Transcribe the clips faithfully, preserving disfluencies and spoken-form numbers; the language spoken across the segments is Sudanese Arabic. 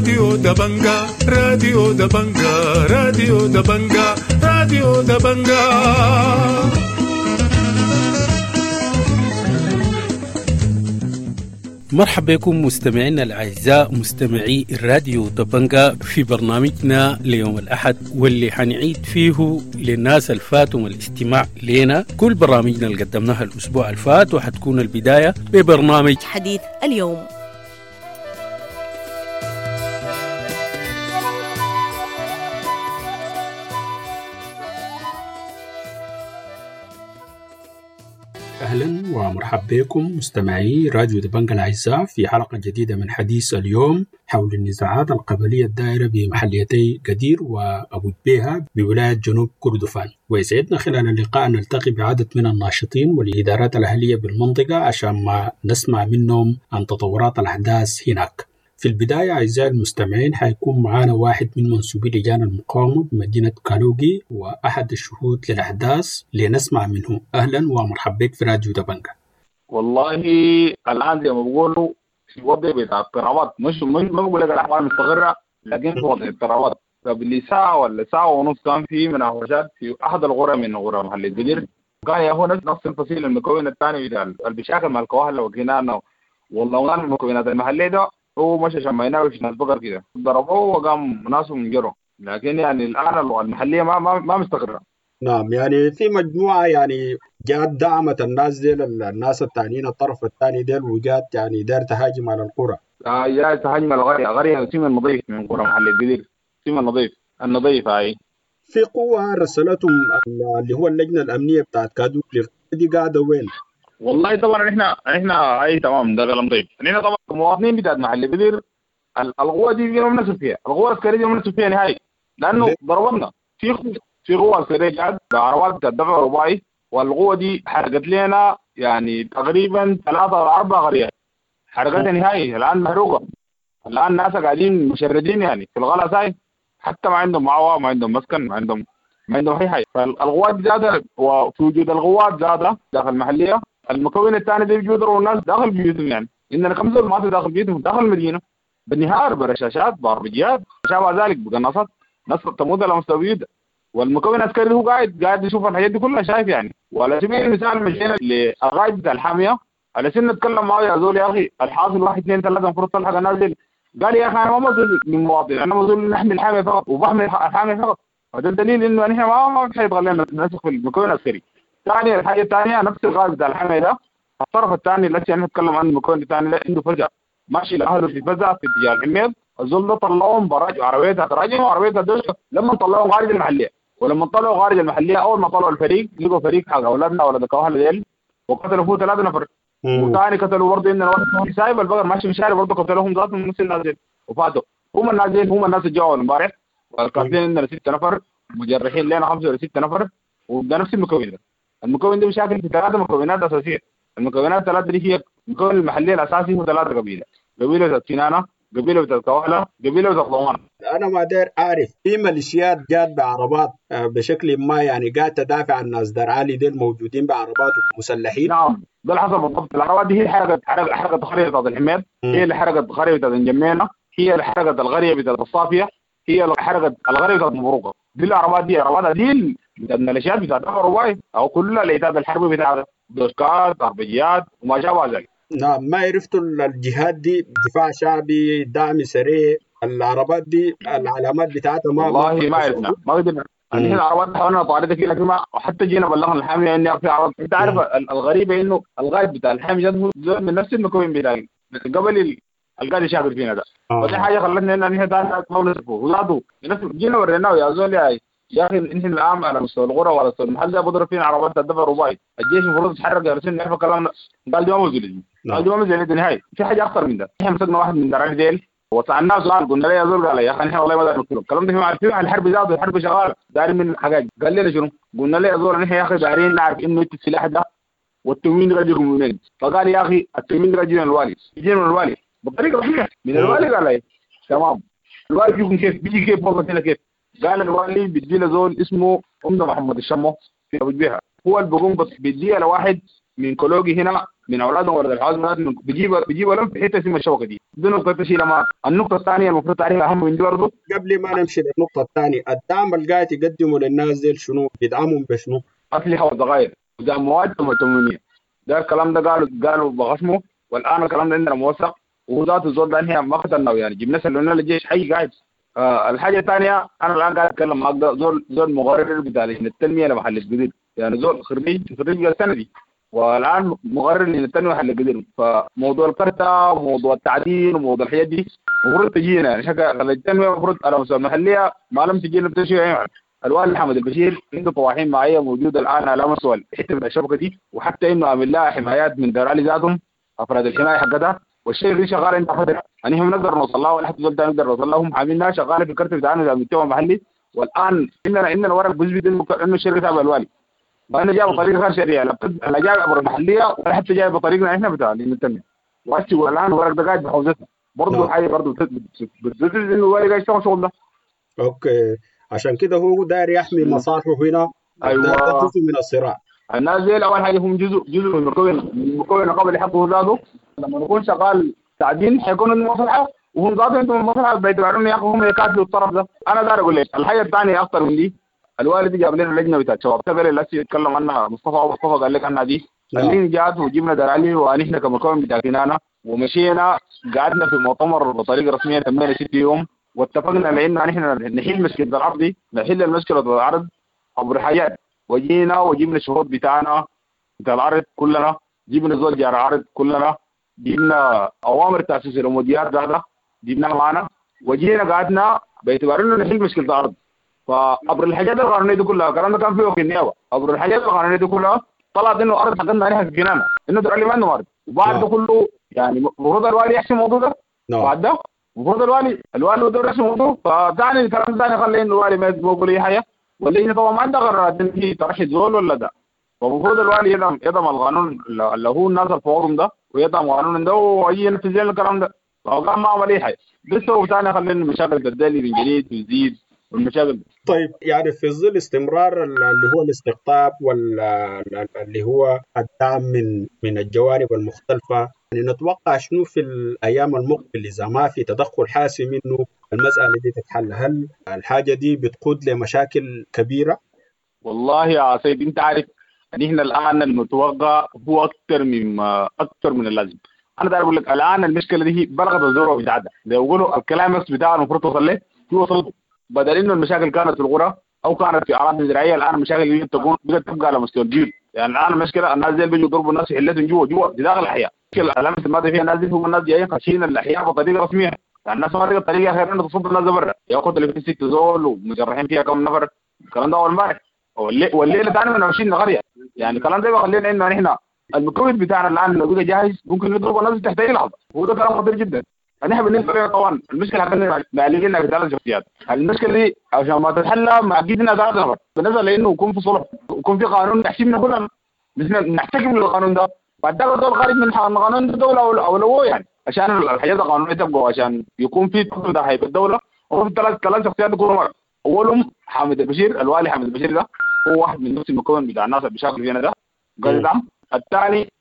راديو دبنجا راديو دبنجا راديو دبنجا راديو دبنجا. مرحبا بكم مستمعينا الأعزاء مستمعي الراديو دبنجا في برنامجنا ليوم الأحد، واللي حنعيد فيه للناس الفاتهم الاستماع لنا كل برامجنا اللي قدمناها الأسبوع الفات، وحتكون البداية ببرنامج حديث اليوم. أهلا ومرحبا بكم مستمعي راديو دبنجا الأعزاء في حلقة جديدة من حديث اليوم حول النزاعات القبلية الدائرة بمحليتي قدير وأبو جبيهة بولاية جنوب كردفان. ويسعدنا خلال اللقاء نلتقي بعدد من الناشطين والإدارات الأهلية بالمنطقة عشان ما نسمع منهم عن تطورات الأحداث هناك. في البداية أعزائي المستمعين حيكون معنا واحد من منسوبي لجان المقاومة بمدينة كالوغي وأحد الشهود للأحداث لنسمع منه. أهلا ومرحبا بك في راديو دبنجا. والله الآن زي ما بقولوا في وضع بتاع اضطرابات، مش ما بقول لك الأحوال مستقرة، لكن في وضع اضطرابات. قبل ساعة ولا ساعة ونص كان في مناوشات في أحد القرى من قرى محل القدير، كان يا هو نفس الفصيل المكون الثاني بتاع البشاكل مع الكواهلة وكنانة والله المكونات المحلية ده هو مشى شميناه وش ناس بقر كده ضربوه وقام ناسهم جروا، لكن يعني الآن المحلية ما ما ما مستقرة. نعم، يعني في مجموعة يعني جات دعمت الناس ديل الناس الثانيين الطرف الثاني ديل، وجات يعني دار تهاجم على القرى. آه جات تهاجم على القرية، قرية سيما النظيف من قرى محل القدير، سيما النظيف النظيف هاي. في قوة رسلتهم اللي هو اللجنة الأمنية بتاعت كادوكلي دي قاعدة وين؟ والله طبعا احنا احنا اي تمام ده كلام طيب. احنا طبعا المواطنين بتاعت محل القدير القوة دي ما بنثق فيها، القوة العسكرية دي ما بنثق فيها نهائي، لانه ضربنا في في قوة عسكرية جات بعربات بتاعت دفع رباعي، والقوه دي حرقت لنا يعني تقريبا ثلاثة او اربع قريات، حرقتها نهائي الان محروقة. الان الناس قاعدين مشردين يعني في الغلا ساي، حتى ما عندهم معوى، ما عندهم مسكن، ما عندهم ما عندهم اي حاجة. فالقوات زادت، وفي وجود القوات زادت داخل المحلية. المكون الثاني ده بيجوا الناس داخل بيوتهم، يعني عندنا خمسة ما داخل بيوتهم داخل المدينة بالنهار برشاشات باربجيات شابه ذلك بقناصات، ناس تموت على مستوى. والمكون العسكري هو قاعد قاعد يشوف الحاجات دي كلها شايف يعني. وعلى سبيل المثال مشينا للغاية بتاع الحامية على سن نتكلم معه، يا زول يا اخي الحاصل واحد اثنين ثلاثة المفروض تلحق الناس دي. قال يا اخي انا ما مسؤول من مواطن، انا مسؤول نحمي الحامية فقط وبحمي الحامية فقط. هذا الدليل انه نحن ما ما في حيبغى لنا نثق في المكون العسكري. ثاني الحاجة الثانية نفس الغاز بتاع الحماية ده، الطرف الثاني اللي احنا نتكلم عنه المكون الثاني ده عنده فزع ماشي لاهله في فزع في اتجاه الحميد، الزول ده طلعوهم براج عربيتها تراجم وعربيتها دوشة. لما طلعوهم خارج المحلية، ولما طلعوا خارج المحلية اول ما طلعوا الفريق لقوا فريق حق اولادنا اولاد الكواهله ديل وقتلوا فيه ثلاثة نفر، وثاني قتلوا برضه عندنا واحد سايب البقر ماشي في الشارع برضه قتلوهم ذاتهم نفس الناس ديل وفاتوا. هم الناس ديل هم الناس اللي جوا امبارح، والقاتلين عندنا ستة نفر، مجرحين لنا خمسة ولا ستة نفر، وده نفس المكون ده. المكون ده مشاكل في ثلاثة مكونات أساسية. المكونات الثلاثة دي هي المكون المحلي الأساسي هو ثلاثة قبيلة، قبيلة بتاعت كنانة، قبيلة بتاعت كواهلة، قبيلة بتاعت ضمان. أنا ما داير أعرف في ميليشيات جات بعربات بشكل ما يعني قاعدة تدافع عن الناس دار عالي ديل موجودين بعربات مسلحين. نعم ده اللي حصل بالضبط. العربات دي هي حرقت حرقت حرقت قرية بتاعت الحميد، هي اللي حرقت قرية بتاعت الجمينة، هي اللي حرقت القرية بتاعت الصافية، هي اللي حرقت القرية بتاعت مبروكة. دي العربات دي عربات دي بتاعت الميليشيات بتاعت الرباعي او كل العتاد الحربي بتاع دوشكات اربجيات وما شابه ذلك. نعم، ما عرفتوا الجهات دي دفاع شعبي دعم سريع العربات دي العلامات بتاعتها ما والله ما عرفنا ما قدرنا. نحن العربات حاولنا نطاردها كده لكن ما حتى جينا بلغنا الحامية اني في عربات. انت عارف الغريبة انه الغايب بتاع الحامية هو من نفس المكون بتاعي قبل القاعد يشاغل فينا ده. آه. ودي حاجة خلتنا ان نحن ما نصرفه ولاده جينا وريناه يا زول يا يا اخي نحن الان على مستوى القرى وعلى مستوى المحل بضرب فينا عربات الدفع الرباعي، الجيش المفروض يتحرك يا رسول نعرف كلامنا. قال دي ما موجود، قال دي ما موجود نهائي. في حاجة اخطر من ده، نحن مسكنا واحد من دراعي ديل وسالناه سؤال قلنا له يا زول، قال يا اخي نحن والله ما دارين نقتله، الكلام ده في عارفين الحرب زاد والحرب شغالة دارين من حاجات. قال لنا شنو؟ قلنا له يا زول نحن يا اخي دارين نعرف انه انت السلاح ده والتموين ده يجيكم من وين؟ فقال يا اخي التموين ده يجي من الوالي، يجي من الوالي بطريقة صحيحه من الوالي. قال لي تمام الوالي بيجيكم كيف؟ بيجي كيف والله هنا كيف؟ قال الوالي بيدي له زول اسمه عمده محمد الشمو في ابو جبيهه، هو اللي بيقوم بيديها لواحد من كولوجي هنا من اولادهم ولد الحوازمه بيجيب بيجيبوا لهم في حتة اسمها الشبكة دي. دي نقطة تشيلها معك. النقطة الثانية المفروض تعرفها اهم من دي برضه قبل ما نمشي للنقطة الثانية، الدعم اللي قاعد يقدمه للناس دي شنو؟ بيدعمهم بشنو؟ اسلحة وذخائر ودعم مواد تموينيه. ده الكلام ده قالوا قالوا بخصمه، والان الكلام ده عندنا موثق، وهو ذاته الزول ده نحن ما قتلناه يعني، جبنا سلمنا للجيش حي قاعد. آه الحاجة الثانية انا الان قاعد اتكلم معك ده زول زول مقرر بتاع لجنة التنمية لمحل القدير، يعني زول خريج خريج السنة دي والان مقرر لجنة التنمية محل القدير. فموضوع الكرته وموضوع التعدين وموضوع الحاجات دي المفروض تجينا يعني شكل التنمية المفروض على مستوى المحلية ما لم تجينا بتشي يعني. الوالي حمد البشير عنده طواحين معية موجودة الان على مستوى حتة من الشبكة دي، وحتى انه عامل لها حمايات من دار علي ذاتهم افراد الحماية حقتها، والشيء اللي شغال عند فترة يعني هم نقدر نوصل لها ولا حتى زول نقدر نوصل لها، هم عاملينها شغالة في الكرت بتاعنا بتاع المجتمع المحلي. والان عندنا عندنا ورق بيثبت انه انه الشركة تابعه الوالي، وانه جاي بطريقة غير شرعية، لا جاي عبر المحلية ولا حتى جاي بطريقنا احنا بتاع التنمية. والان الورق ده قاعد بحوزتنا برضه، حاجة برضه بتثبت انه الوالي قاعد يشتغل شغل ده. okay، عشان كده هو داير يحمي مصالحه هنا. ايوه، ده جزء من الصراع. الناس دي اول حاجة هم جزء جزء من المكون من مكون القبلي حقه ذاته. لما نكون شغال تعدين حيكون عندهم مصلحة، وهم ذاتهم عندهم مصلحة بيتبعون يا اخي هم يقاتلوا الطرف ده. انا داير اقول لك الحاجة الثانية اخطر من دي، الوالد جاب لنا لجنة بتاعت شباب تقبل اللي يتكلم عنها مصطفى مصطفى قال لك عنها دي، اللي جات وجبنا دلالي ونحن كمكون بتاع كنانة ومشينا قعدنا في مؤتمر بطريقة رسمية تمينا ست يوم، واتفقنا لان نحن نحل مشكلة الارض دي، نحل المشكلة الارض عبر حاجات. وجينا وجبنا الشروط بتاعنا بتاع العرض كلنا، جبنا زول جار عرض كلنا، جبنا اوامر تاسيس الاموديات هذا جبناها معنا، وجينا قعدنا باعتبار انه نحل مشكلة الارض. فعبر الحاجات القانونية دي كلها، الكلام ده كان فيه في النيابة، عبر الحاجات القانونية دي كلها طلعت انه ارض حقتنا عليها في جنانه، انه درالي ما عنده ارض. وبعد ده كله يعني المفروض الوالي يحسم الموضوع ده. بعد ده المفروض الوالي الوالي بده يحسم الموضوع. فتاني الكلام ثاني خلي انه الوالي ما يقول اي حاجة، واللجنة طبعا ما عندها قرارات ان هي ترشد زول ولا ده. فالمفروض الوالي يدعم يدعم القانون اللي هو الناس الفوضهم ده، ويدعم قانون ده ويجي ينفذ لنا الكلام ده. فقام ما عمل اي حاجة. ده السبب ثاني خلي المشاكل تدلي من جديد وتزيد والمشاكل. طيب يعني في ظل استمرار اللي هو الاستقطاب واللي هو الدعم من من الجوانب المختلفة، يعني نتوقع شنو في الايام المقبلة اذا ما في تدخل حاسم انه المسالة دي تتحل؟ هل الحاجة دي بتقود لمشاكل كبيرة؟ والله يا سيد انت عارف نحن الان المتوقع هو اكثر مما اكثر من اللازم. انا داير اقول لك الان المشكلة دي بلغت الذروة بتاعتها، زي ما بيقولوا الكلام بتاع المفروض توصل له هو وصلته. بدل انه المشاكل كانت في القرى او كانت في اراضي زراعية، الان المشاكل دي تكون بدات تبقى على مستوى الجيل. يعني الان المشكلة الناس دي بيجوا يضربوا الناس في حلتهم جوا جوا في داخل الاحياء. المشكلة الان الماضي فيها الناس دي هم الناس جايين خاشين الاحياء بطريقة رسمية، يعني الناس ما لقت طريقه غير انه تصد الناس برا، ياخذ اللي في ست زول ومجرحين فيها كم نفر. الكلام ده اول امبارح والليلة ثاني من عشرين قرية. يعني الكلام ده بيخلينا انه نحن المكون بتاعنا الان لو بقى جاهز ممكن نضرب الناس تحت اي لحظة، وده كلام خطير جدا. نحن بالنسبة لنا طبعا المشكلة حقتنا معلقين في ثلاث شخصيات، المشكلة دي عشان ما تتحلى معقدنا ثلاث نفر، بالنسبة لانه يكون في صلح ويكون في قانون يحسبنا كلنا، نحن نحتكم للقانون ده، بعد ده الدول خارج من القانون ده دولة او لو يعني عشان الحاجات القانونية تبقى، عشان يكون في تقدر هيبة الدولة. وفي ثلاث ثلاث شخصيات يكونوا مرة. اولهم حامد البشير، الوالي حامد البشير ده هو واحد من نفس المكون بتاع الناس اللي بيشتغلوا فينا ده قال يدعم. الثاني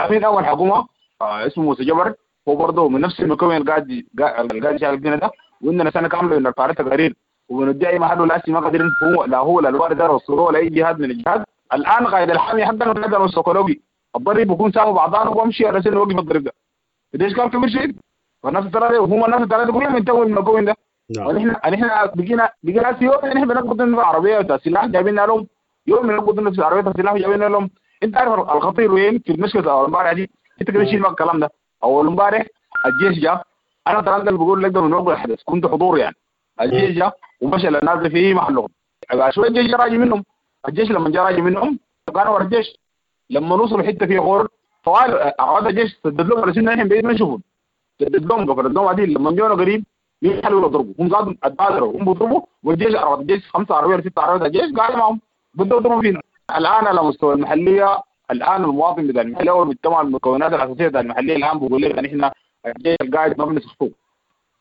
امين اول حكومة آه اسمه موسى جبر، هو برضه من نفس المكون اللي قاعد قاعد يشتغل فينا ده، وعندنا سنة كاملة بنرفع له تقارير وبندعي محله لا ما قادرين هو لا هو لا الوالي ده وصلوه ولا اي جهاز من الجهات. الان قائد الحامي حقنا قاعد السيكولوجي الضرب بيكون سامة بعضان وبمشي على سن وقف الضرب ده، ده اشكال كبير شديد. فالناس الثلاثة وهم الناس الثلاثة كلهم ينتهوا من المكون ده. ونحن نحن بقينا بقينا يوم نحن بنقبض لنا عربية بتاع سلاح جايبين لهم، يوم بنقبض لنا عربية بتاع سلاح جايبين لهم. انت عارف الخطير وين في المشكلة امبارح دي؟ انت كده شيل الكلام ده. اول امبارح الجيش جاء، انا ترى اللي بقول لك ده من وقت الحدث كنت حضور يعني. الجيش جاء ومشى للناس في محلهم، شوية الجيش جاء راجع منهم. الجيش لما جاء راجع منهم كانوا ورا الجيش، لما وصلوا حتة فيها غور طوال عاد الجيش سدد لهم على سنة نحن بعيد ما نشوفهم، سدد لهم قفلت لهم عديل. لما جونا قريب يحلوا يضربوا، هم زادوا اتبادروا هم بيضربوا، والجيش عربات الجيش خمسة عربية ستة عربيات الجيش قاعد معهم بدوا يضربوا فينا. الان على مستوى المحلية الان المواطن بتاع المحلية والمجتمع المكونات الاساسية بتاع المحلية الان بيقول لك نحن الجيش القاعد ما بنسخطوه.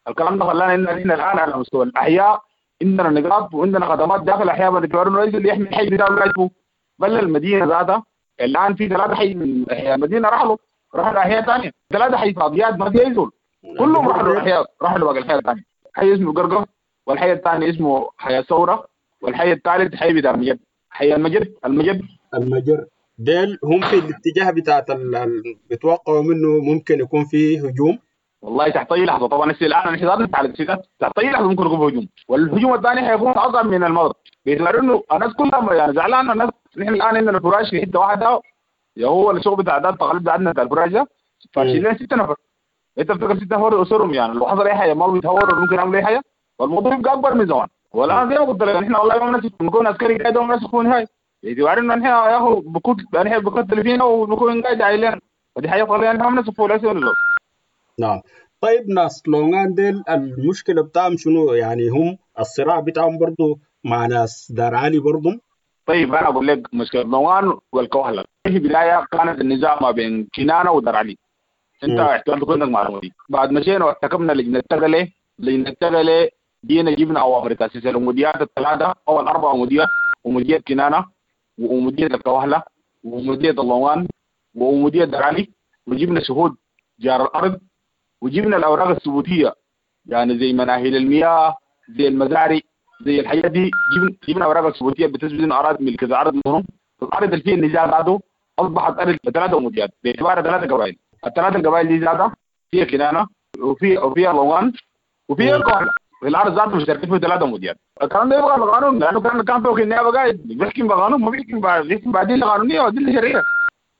الكلام ده خلانا ان نحن الان على مستوى الاحياء عندنا نقاط وعندنا خدمات داخل الاحياء بالاعتبار انه اللي يحمي الحي بتاعه قاعد فوق، بل المدينة ذاتها الان في ثلاثة حي من احياء المدينة رحلوا رحلوا احياء ثانية، ثلاثة حي فاضيات ما في اي زول، كلهم رحلوا احياء، رحلوا باقي الحي الثاني. حي اسمه قرقه، والحي الثاني اسمه حي الثورة، والحي الثالث حي بتاع المجد، حي المجد المجد المجر. ديل هم في الاتجاه بتاعت ال... بيتوقعوا منه ممكن يكون فيه هجوم. والله تحت اي لحظة طبعا. هسه الان نحن ذاتنا على السيدات تحت اي لحظة ممكن يكون هجوم، والهجوم الثاني حيكون اصعب من الماضي باعتبار انه الناس كلها يعني زعلانة. الناس نحن الان عندنا فراش في حتة واحدة، يا هو الشغل بتاع ده التقليد بتاعنا بتاع الفراش ده فاشيلين لنا ستة نفر. انت بتفكر ستة نفر اسرهم يعني لو حصل اي حاجة ما بيتهوروا ممكن يعملوا اي حاجة، والموضوع يبقى اكبر من زمان. والان زي ما قلت لك نحن والله ما بنثق بنكون عسكري قاعد وما بنثق نهائي، باعتبار انه نحن يا اخو بكون نحن بكتل فينا وبكون قاعد عيلنا، فدي حاجة طبيعية نحن ما بنثق ولا. نعم. طيب ناس لونغان ديل المشكلة بتاعهم شنو؟ يعني هم الصراع بتاعهم برضو مع ناس دار علي برضو؟ طيب أنا أقول لك مشكلة لونغان والكوهلة في بداية كانت النزاع ما بين كنانة ودار علي. أنت احتمال تكون عندك معلومة دي. بعد مشينا واحتكمنا لجنة التغلي، لجنة التغلي جينا جبنا أوامر تأسيس الأموديات الثلاثة أو الأربع أموديات، أمودية كنانة وأمودية الكوهلة وأمودية اللونغان وأمودية دار علي، وجبنا شهود جار الأرض، وجبنا الاوراق الثبوتيه يعني زي مناهل المياه زي المزارع زي الحاجات دي، جبنا جبنا اوراق الثبوتيه بتثبت انه اراضي ملك الارض منهم. الارض اللي فيها النزاع ذاته اصبحت ارض ثلاثة أموديات باعتبارها ثلاثة قبائل. الثلاثة القبائل دي ذاتها فيها كنانة وفي وفيها لونغان وفيها الكوهلة. الارض ذاته مشتركين فيها ثلاثة أموديات. الكلام ده يبغى بقانون، لانه كان كان فوق النيابة قاعد بيحكم بقانون، ما بيحكم بيحكم بادلة قانونية وادلة شرعية.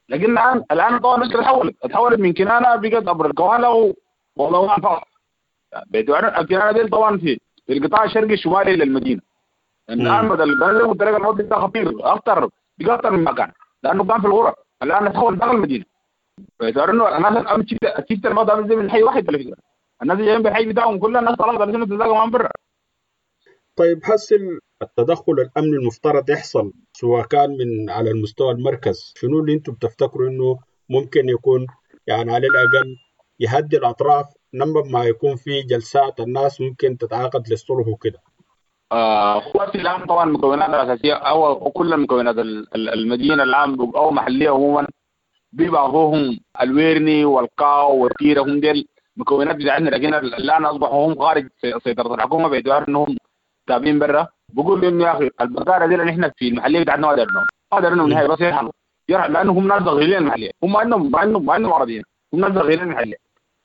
لكن الان الان طبعا المشكلة تحولت تحولت من كنانة بقت ابر الكوهلة والله ما فقط. باعتبار الكنانه دي طبعا في في القطاع الشرقي الشمالي للمدينة. الان بدل القانون قلت لك الموضوع ده خطير اخطر بقى اخطر من مكان، لانه كان في الغرف، الان تحول داخل المدينة. باعتبار انه الناس الان شفت الموضوع زي من حي واحد على فكرة، الناس جايين بالحي بتاعهم كلها الناس طلعت على تتلاقى معهم برا. طيب هسه التدخل الامني المفترض يحصل سواء كان من على المستوى المركز، شنو اللي انتم بتفتكروا انه ممكن يكون يعني على الاقل يهدي الأطراف لما ما يكون في جلسات الناس ممكن تتعاقد للصلح وكده؟ آه هو الآن طبعا المكونات الأساسية أو كل المكونات المدينة الآن أو محلية عموما بيبقى هم الويرني والقاو والتيرة، هم ديل مكونات بتاعتنا، لكن الآن أصبحوا هم خارج سيطرة الحكومة باعتبار إنهم تابعين برا. بقول إنه يا أخي البقارة دي اللي إحنا في المحلية بتاعتنا ما دارناهم، ما دارناهم نهائي، بس يرحلوا يرحلوا لأنهم هم ناس داخلين المحلية، هم ما عندهم ما عندهم ما عندهم عربيين، هم ناس داخلين المحلية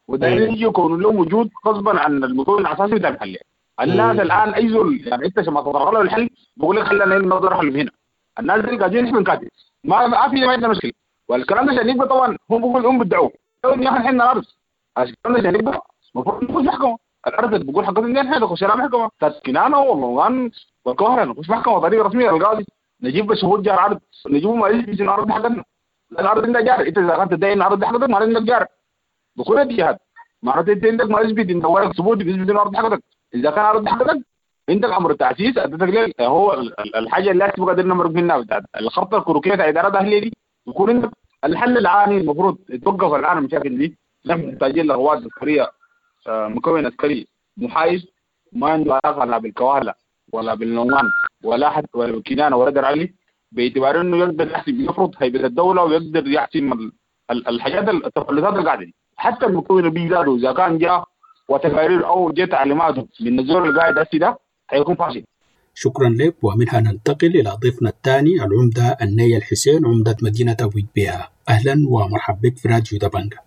ودايرين يجوا يكونوا لهم وجود غصبا عن المكون الاساسي بتاع المحلية. الناس الان اي زول يعني انت ما تطرق له الحل بقول لك خلينا نقدر نحل هنا. الناس اللي قاعدين نحن بنكاتب ما ما في ما عندنا مشكلة، والكلام ده عشان يبقى طبعا هم بيقولوا هم بيدعوا يا اخي احنا الارض، عشان الكلام ده عشان يبقى المفروض نخش محكمة. الارض اللي بقول حقتنا نحن نخش لها محكمة بتاعت كنانة والله والكوهره، نخش محكمة طريقه رسمية للقاضي، نجيب شهود جار عرض، نجيب ما يثبت ان الارض حقتنا، الارض عندها جار. انت اذا كنت تدعي ان الارض حقتك معناته عندك جار بكل الجهات، معناته انت عندك ما يثبت ان ورق ثبوت بيثبت ان الارض حقتك. اذا كان الارض حقتك عندك امر التاسيس ادتك ليه هو الحاجة اللي لازم قادرين نمرق منها بتاعت الخرطة الكروكيه بتاع ادارة الاهلية دي. يكون عندك الحل العاني المفروض يتوقف الان المشاكل دي. نحن محتاجين لقوات عسكرية، مكون عسكري محايد ما عنده علاقة لا بالكواهله ولا بالنومان ولا حتى ولا بالكنانه ولا در علي، باعتبار انه يقدر يحسب يفرض هيبة الدولة ويقدر يحسم الحاجات التفلتات اللي قاعدة دي. حتى المكون اللي بيزاده اذا كان جاء وتقارير او جاء تعليماته من الزول اللي قاعد هسي ده حيكون فاشل. شكرا لك. ومنها ننتقل الى ضيفنا الثاني العمدة النية الحسين، عمده مدينة ابو جبيهة. اهلا ومرحبا بك في راديو دبنجا.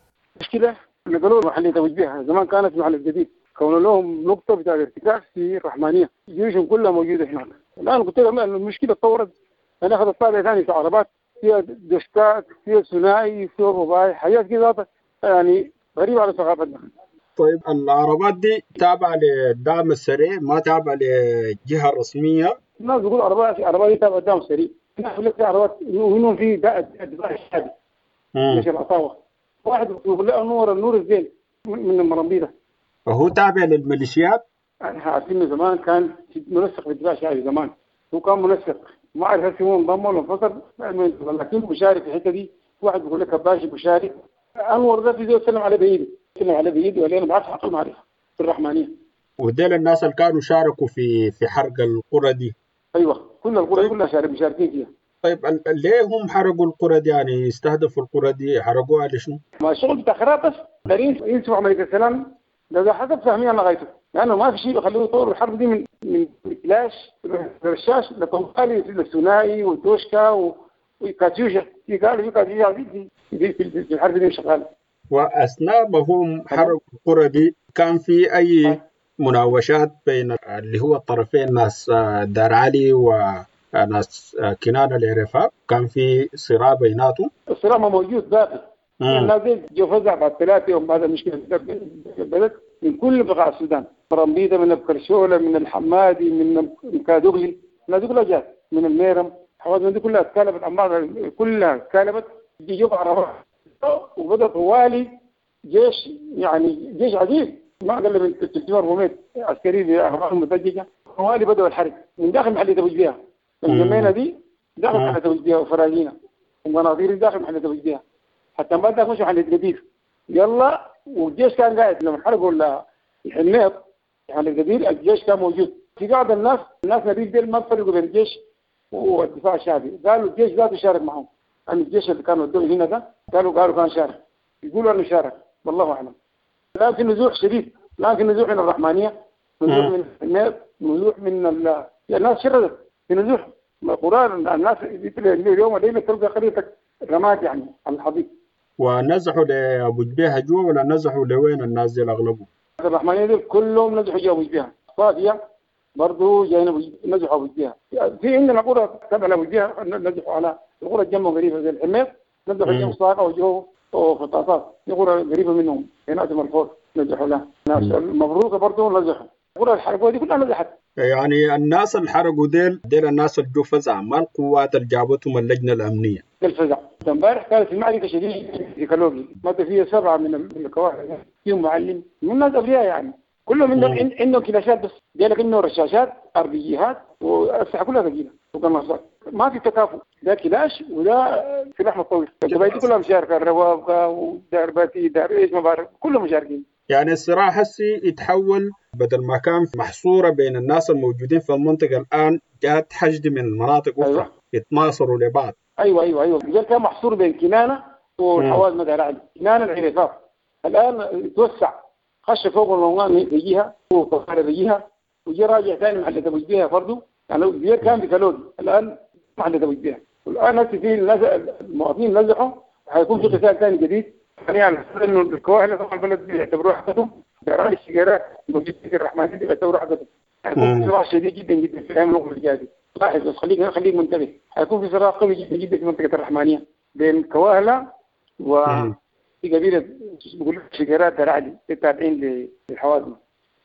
مشكلة نقلوا محليه ابو جبيهة زمان كانت محل الجديد، كونوا لهم نقطة بتاع الارتكاز في الرحمانيه، جيوشهم كلها موجودة هناك. الان قلت لهم المشكلة تطورت، انا اخذت طابع ثاني في عربات فيها دشكات، فيها ثنائي، فيها رباعي، حاجات كذا يعني غريبة على ثقافتنا. طيب العربات دي تابعه للدعم السريع ما تابعه للجهة الرسمية؟ الناس بيقولوا عربات عربات دي تابعه للدعم السريع، الناس بيقول لك عربات ومنهم في دفاع الشعبي جيش العصاوه، واحد بيقول له نور النور الزين من المرمبيده. فهو تابع للميليشيات؟ احنا عارفين زمان كان منسق في الدفاع الشعبي زمان، هو كان منسق، ما اعرف هل هو انضم ولا انفصل، لكن مشارك في الحتة دي. واحد بيقول لك باشي مشارك، انور ده في زول سلم عليه بايده، سلم عليه بايده ولا انا ما بعرف حقه معرفة في الرحمانيه. وديل الناس اللي كانوا شاركوا في في حرق القرى دي. ايوه كل القرى كلها شارك مشاركين فيها. طيب ليه هم حرقوا القرى دي؟ يعني استهدفوا القرى دي حرقوها لشنو؟ ما الشغل بتاع خراب بس دارين ينسوا عملية السلام ده, ده حسب فهمي انا غايته، لانه ما في شيء بيخليه يطوروا الحرب دي من من كلاش رشاش لطوالي للثنائي والدوشكا وكاتيوشا. في قالوا في كاتيوشا في في, في الحرب دي شغالة. واثناء ما هم حرقوا القرى دي كان في اي مناوشات بين اللي هو الطرفين ناس دار علي وناس كنانة العرفاء؟ كان في صراع بيناتهم؟ الصراع ما موجود باقي. الناس دي جو فزع بعد ثلاثة يوم بعد المشكلة بدت من كل بقاع السودان، مرمبيطة من الكرشولة من الحمادي من كادوغلي، الناس دي كلها جات من الميرم، الحوادث دي كلها اتكالبت عن بعض، كلها اتكالبت جو عربات وبدأ طوالي جيش، يعني جيش عديد ما اقل من ثلاثمائة أربعمائة عسكري باعمال مدججه. طوالي بدأوا الحرب من داخل محلية ابو جبيهة، الجمينة دي داخل محلية ابو جبيهة وفراجينا ومناظير داخل محلية ابو جبيهة، حتى ما داخل مشوا محلية قدير. يلا والجيش كان قاعد لما حرقوا الحميط محلية قدير الجيش كان موجود. في بعض الناس الناس نبيل ديل ما فرقوا بين الجيش والدفاع الشعبي، قالوا الجيش ذاته شارك معهم، يعني الجيش اللي كانوا ودوه هنا ده قالوا قالوا كان شارك، يقولوا انه شارك والله اعلم. الان في نزوح شديد، الان في نزوح من الرحمانيه، نزوح من الحميط، نزوح من ال... الناس شردت في نزوح القرى. الناس اليوم الليلة تلقى قريتك رماد يعني على الحضيض. ونزحوا لابو جبيهة جوا ولا نزحوا لوين الناس دي اغلبهم؟ الرحمانيه دي كلهم نزحوا جوا ابو جبيهة، صافية برضه جايين نزحوا ابو جبيهة. في عندنا قرى تبع لابو جبيهة نزحوا على القرى الجنب قريبه زي الحميط، نزحوا جنب صاقه وجو وفطاطات، في قرى قريبه منهم هنا مرفوع نزحوا لها. ناس المبروكه برضه نزحوا، قرى الحرقوه دي كلها نزحت. يعني الناس اللي حرقوا ديل ديل الناس اللي جو فزع، ما القوات اللي جابتهم اللجنة الامنية. الفزع امبارح كانت المعركة شديدة في كالوغي، مات فيها سبعة من الكواهله، فيهم معلم من الناس ابرياء يعني، كلهم عندهم عندهم كلاشات بس، قال لك انه رشاشات اربيجيهات واسلحه كلها ثقيلة وقناصات، ما في تكافؤ، ده كلاش وده سلاح متطور، القبائل دي كلها مشاركة، الروابقه ودار باتي دار ايش ما بعرف كلهم مشاركين. يعني الصراع هسي يتحول بدل ما كان محصورة بين الناس الموجودين في المنطقة الان جات حشد من المناطق اخرى. أيوة. يتناصروا لبعض. ايوه ايوه ايوه الرجال كان محصور بين كنانة والحوازمه دار علي، كنانة العريفات الان توسع، خش فوق الموان بيجيها وطفاره بيجيها وجي راجع ثاني محل ابو جبيهة برضه، يعني الزير كان في كالوغي الان محل ابو جبيهة، والان هسه في المواطنين نزحوا، حيكون في قتال ثاني جديد. يعني انه الكواهله طبعا البلد بيعتبروها حقتهم، دار الشجيرات موجود في الرحمن دي بيعتبروها حقتهم. حيكون في صراع شديد جدا جدا في الايام المقبلة الجاية، لاحظ بس خليك خليك منتبه، حيكون في صراع قوي جدا جدا في منطقة الرحمانيه بين كواهله و في قبيلة بيقولوا شجيرات دار علي التابعين للحوازمه.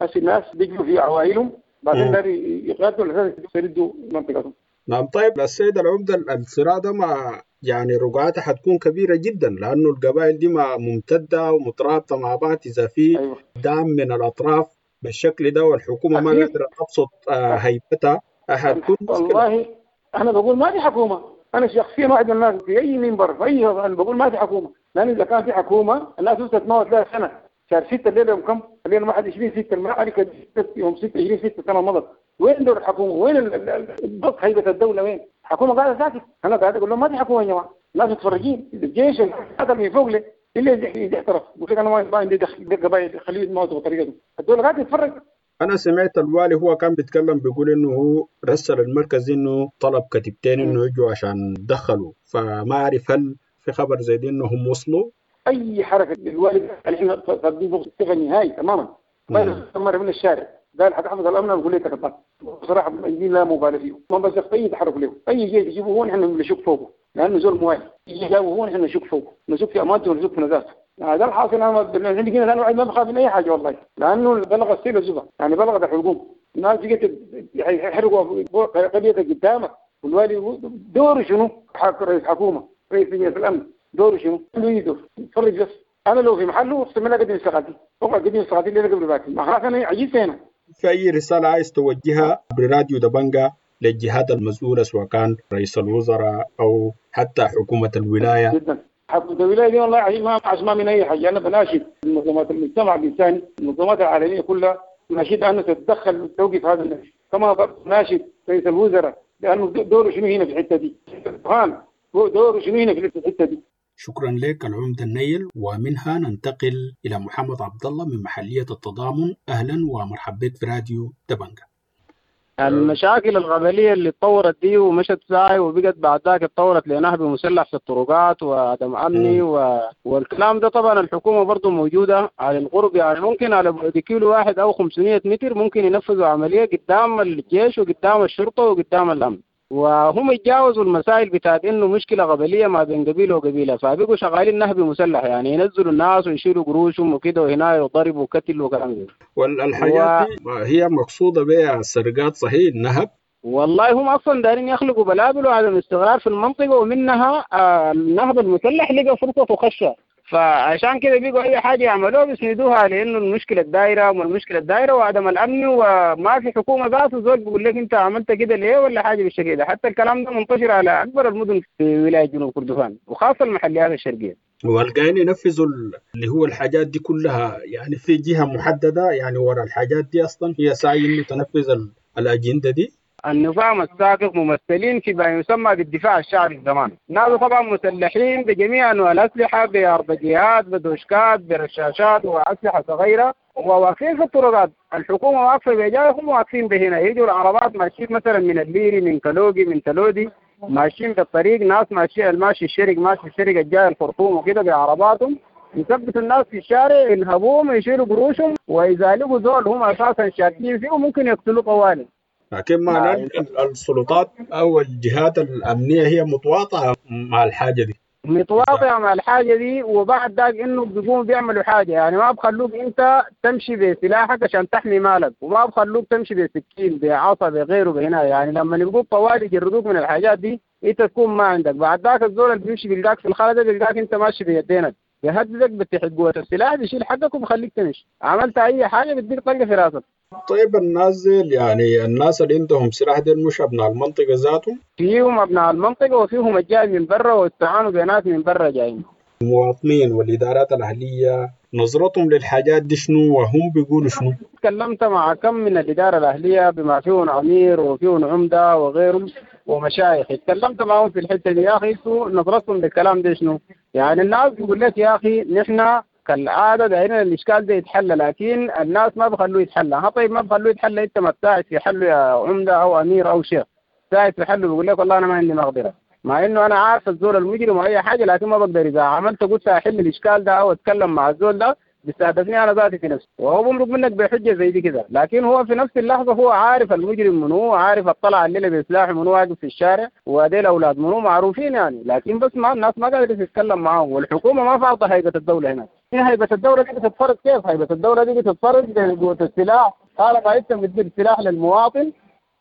هسه الناس بيجوا في عوائلهم بعدين دار يقاتلوا على اساس يستردوا منطقتهم. نعم. طيب السيد العمدة، الصراع ده مع يعني رقعتها حتكون كبيرة جدا، لأنه القبائل دي ما ممتدة ومترابطة مع بعض، إذا في أيوة. دعم من الأطراف بالشكل ده والحكومة ما قادرة تبسط هيبتها حتكون مشكلة. والله أنا بقول ما في حكومة، أنا شخصيا واحد من الناس في أي منبر في أي أنا بقول ما في حكومة، لأن إذا كان في حكومة الناس تتموت لها سنة، شهر ستة الليلة يوم كم؟ الليلة واحد وعشرين ستة المعركة يوم ستة وعشرين ستة سنة مضت، وين دور الحكومة؟ وين ضبط هيبة الدولة؟ وين؟ الحكومة قاعدة ساكت، أنا قاعد أقول لهم ما في حكومة يا جماعة، الناس متفرجين، الجيش هذا من فوق لي اللي احترف، يقول لك أنا ما عندي دخل قبائل خليه يتموتوا بطريقته، الدولة قاعدة تتفرج. أنا سمعت الوالي هو كان بيتكلم بيقول إنه هو رسل المركز إنه طلب كتيبتين إنه يجوا عشان دخلوا، فما أعرف هل في خبر زي دي إنهم وصلوا؟ أي حركة للوالي احنا صدقين الثقة النهائي تماما، ما من الشارع قال حتحفظ الامن نقول لك تكبر، بصراحة المؤيدين لا مبالغ فيهم، ما بس اي تحرك له، اي جيش يجيبه هو نحن نشك فوقه، لانه زول موالي، يجي جابه هو نحن نشك فوقه، نشك في امانته ونشك في نزاهته. هذا الحاصل. انا عندي هنا لانه ما بخاف من اي حاجة والله، لانه بلغ السيل الزبا، يعني بلغت الحلقوم، الناس بقت يحرقوا قريتك قدامك، والوالي دوره شنو؟ رئيس حكومة، رئيس لجنة الامن، دوره شنو؟ عنده يدور يتفرج بس. انا لو في محله اقسم بالله قدم استقالتي، اقعد قدم استقالتي اللي قبل باكر، ما خلاص انا عجزت هنا. في أي رسالة عايز توجهها براديو دبنجا للجهات المسؤولة سواء كان رئيس الوزراء أو حتى حكومة الولاية؟ جدا حكومة الولاية دي والله ما عزما من أي حاجة. أنا بناشد منظمات المجتمع الإنساني، المنظمات العالمية كلها، ناشد أنه تتدخل وتوقف هذا النهج، كما ناشد رئيس الوزراء لأنه دوره شنو هنا في الحتة دي. البرهان هو دوره شنو هنا في الحتة دي؟ شكرا لك العمدة النيل. ومنها ننتقل إلى محمد عبد الله من محلية التضامن. أهلا ومرحبا بك في راديو دبنجة. المشاكل القبلية اللي اتطورت دي ومشت ساي وبقت بعد ذاك اتطورت لنهب مسلح في الطرقات وعدم أمني و... والكلام ده طبعا الحكومة برضو موجودة على القرب، يعني ممكن على بعد كيلو واحد أو خمسمية متر ممكن ينفذوا عملية قدام الجيش وقدام الشرطة وقدام الأمن، وهم يتجاوزوا المسائل بتاعت انه مشكلة قبليه ما بين قبيلة وقبيله، فبقوا شغالين نهب مسلح، يعني ينزلوا الناس ويشيلوا قروشهم وكده وهنا يضربوا وقتل وكلام ده. والحاجات دي هي مقصوده بها السرقات صحيح النهب؟ والله هم اصلا دارين يخلقوا بلابل وعدم استقرار في المنطقة، ومنها النهب المسلح لقى فرصة وخشه، فعشان كده بيقوا اي حاجة يعملوها بيسندوها لانه المشكلة الدايرة والمشكلة الدايرة وعدم الامن، وما في حكومة ذاته زول بيقول لك انت عملت كده ليه ولا حاجة بالشكل ده. حتى الكلام ده منتشر على اكبر المدن في ولاية جنوب كردفان وخاصة المحليات الشرقية. والقاين ينفذوا اللي هو الحاجات دي كلها يعني في جهة محددة يعني ورا الحاجات دي اصلا هي ساعي انه تنفذ الاجندة دي. النظام السابق ممثلين في ما يسمى بالدفاع الشعبي زمان، ناس طبعا مسلحين بجميع انواع الاسلحة، باربجيات بدوشكات برشاشات واسلحه صغيرة، وواقفين في الطرقات، الحكومة واقفة بجايهم واقفين بهنا، يجوا العربات ماشيين مثلا من الليري من كلوجي من تلودي ماشيين في الطريق، ناس ماشيين الماشي الشرق ماشي الشرق الجاي الخرطوم وكده بعرباتهم، يثبتوا الناس في الشارع ينهبوهم يشيلوا قروشهم، واذا لقوا زول هم اساسا شاكين فيه ممكن يقتلوه طوالي. لكن ما السلطات او الجهات الامنية هي متواطئه مع الحاجة دي، متواطئه مع الحاجة دي، وبعد ذاك انه بيقوموا بيعملوا حاجة، يعني ما بخلوك انت تمشي بسلاحك عشان تحمي مالك، وما بخلوك تمشي بسكين بعصا بغيره بهنا، يعني لما يبقوك طوالي يجردوك من الحاجات دي انت تكون ما عندك. بعد ذاك الزول اللي بيمشي بيلقاك في الخلا ده بيلقاك انت ماشي بيدينك، بيهددك بتحت قوة السلاح بيشيل حقك وبخليك تمشي، عملت اي حاجة بتديك طلقه في راسك. طيب الناس يعني الناس اللي عندهم سلاح ديل مش ابناء المنطقة ذاتهم؟ فيهم ابناء المنطقة وفيهم الجاي من برا واستعانوا بناس من برا جايين. المواطنين والادارات الاهلية نظرتهم للحاجات دي شنو وهم بيقولوا شنو؟ تكلمت مع كم من الادارة الاهلية بما فيهم امير وفيهم عمده وغيرهم ومشايخ، اتكلمت معهم في الحتة دي، يا اخي انتوا نظرتكم للكلام ده شنو؟ يعني الناس بيقول لك يا اخي نحن كالعادة دايرين الاشكال ده يتحل، لكن الناس ما بخلوه يتحل. ها طيب ما بخلوه يتحل، انت ما تساعد في حله يا عمده او امير او شيخ، ساعد في حله بيقول لك والله انا ما عندي مقدره، مع انه انا عارف الزول المجرم واي حاجة، لكن ما بقدر اذا عملت قلت احل الاشكال ده او اتكلم مع الزول ده بيستهدفني انا ذاتي في نفسي، وهو بمرق منك بحجة زي دي كده، لكن هو في نفس اللحظة هو عارف المجرم منو، عارف الطلع الليلة بسلاح منو واقف في الشارع، وديل اولاد منو معروفين يعني، لكن بس ما الناس ما قادرة تتكلم معاهم، والحكومة ما فارضه هيبة الدولة هنا. هيبة الدولة دي بتتفرض كيف؟ هيبة الدولة دي بتتفرض بقوة السلاح، طالما انت بتدي سلاح للمواطن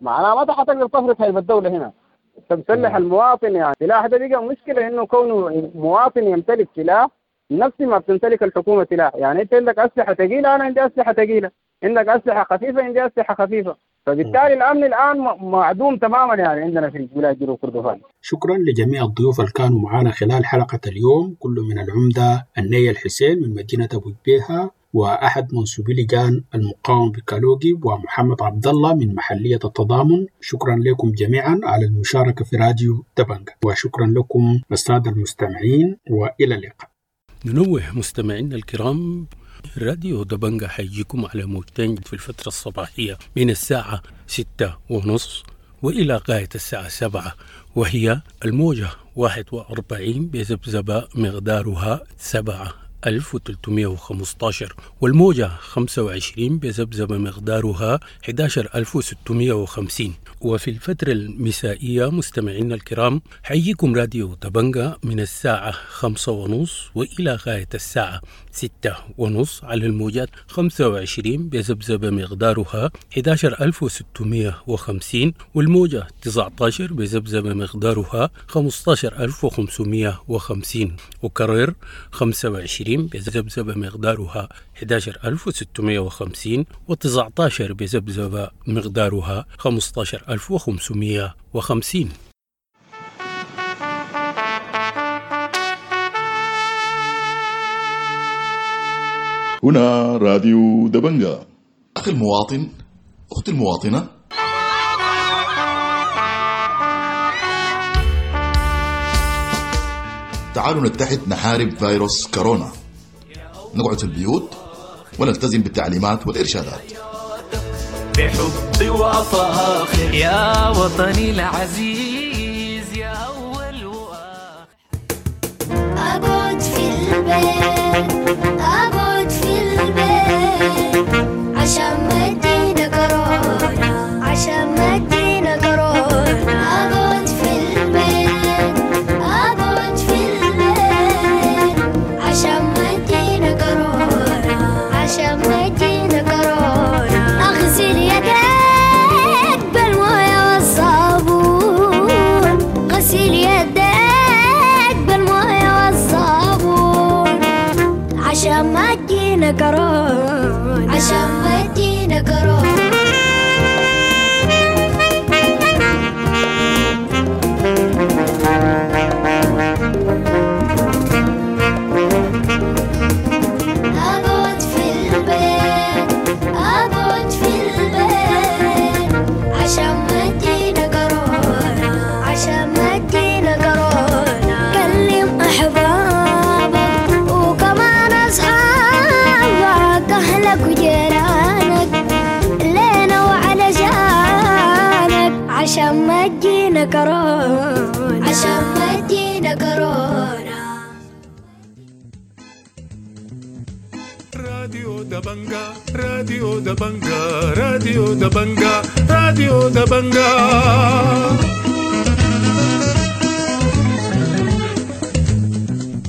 معناها ما حتقدر تفرض هيبة الدولة هنا. انت مسلح المواطن، يعني السلاح ده بقى مشكلة، انه كونه مواطن يمتلك سلاح نفس ما بتمتلك الحكومة سلاح، يعني انت عندك اسلحة ثقيلة انا عندي اسلحة ثقيلة، عندك اسلحة خفيفة عندي اسلحة خفيفة، فبالتالي الامن الان معدوم تماما يعني عندنا في ولاية جنوب كردفان. شكرا لجميع الضيوف اللي كانوا معنا خلال حلقة اليوم، كل من العمدة النيل الحسين من مدينة ابو جبيهه، واحد منسوبي لجان المقاومة بكالوجي، ومحمد عبد الله من محليه التضامن. شكرا لكم جميعا على المشاركة في راديو دبنجة، وشكرا لكم السادة المستمعين، والى اللقاء. ننوه مستمعينا الكرام، راديو دبنجة حيجيكم على موجتين في الفترة الصباحية من الساعة ستة ونص وإلى غاية الساعة سبعة، وهي الموجة واحد وأربعين بذبذبة مقدارها سبعة ألف وثلاثمائة وخمسة عشر، والموجة خمسة وعشرين بذبذبة مقدارها أحد عشر ألف وستمائة وخمسين. وفي الفترة المسائية مستمعينا الكرام حييكم راديو دبنجة من الساعة خمسة ونص وإلى غاية الساعة ستة ونص على الموجات خمسة وعشرين بذبذبة مقدارها أحد عشر ألف وستمائة وخمسين، والموجة تسعة عشر بذبذبة مقدارها خمسة عشر ألف وخمسمائة وخمسين، وكرر خمسة وعشرين بذبذبة مقدارها أحد عشر ألف وستمائة وخمسين، وتسعة عشر بذبذبة مقدارها خمسة عشر ألف وخمسمائة وخمسين. هنا راديو دبنجة. أخي المواطن، أختي المواطنة، تعالوا نتحد نحارب فيروس كورونا، نقعد في البيوت ونلتزم بالتعليمات والإرشادات. بحبي وأفاخر يا وطني العزيز يا أول وآخر. أقعد في البيت، أقعد في البيت عشان ما تجينا كورونا، عشان ما تجينا كورونا. أقعد في البيت، أقعد في البيت عشان ما تجينا كورونا، عشان ما تجينا كورونا. أغسل يديك بالموية والصابون، غسل يديك بالموية والصابون عشان ما تجينا كورونا، عشان ما تجينا كورونا. أقعد في البيت، أقعد في البيت عشان ما تجينا كورونا، عشان ما تجينا كورونا. كلم أحبابك وكمان أصحابك، أهلك وجيرانك لينا وعلى جانك عشان ما تجينا كورونا، عشان ما تجينا كورونا. راديو دبنجا، راديو دبنجا، راديو دبنجا، راديو دبنجا.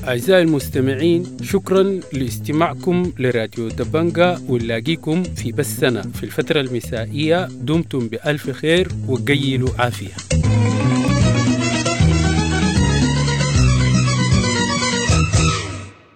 أعزائي المستمعين، شكرا لاستماعكم لراديو دبنجا، ونلاقيكم في بثنا في الفترة المسائية. دمتم بألف خير وقيلوا عافية.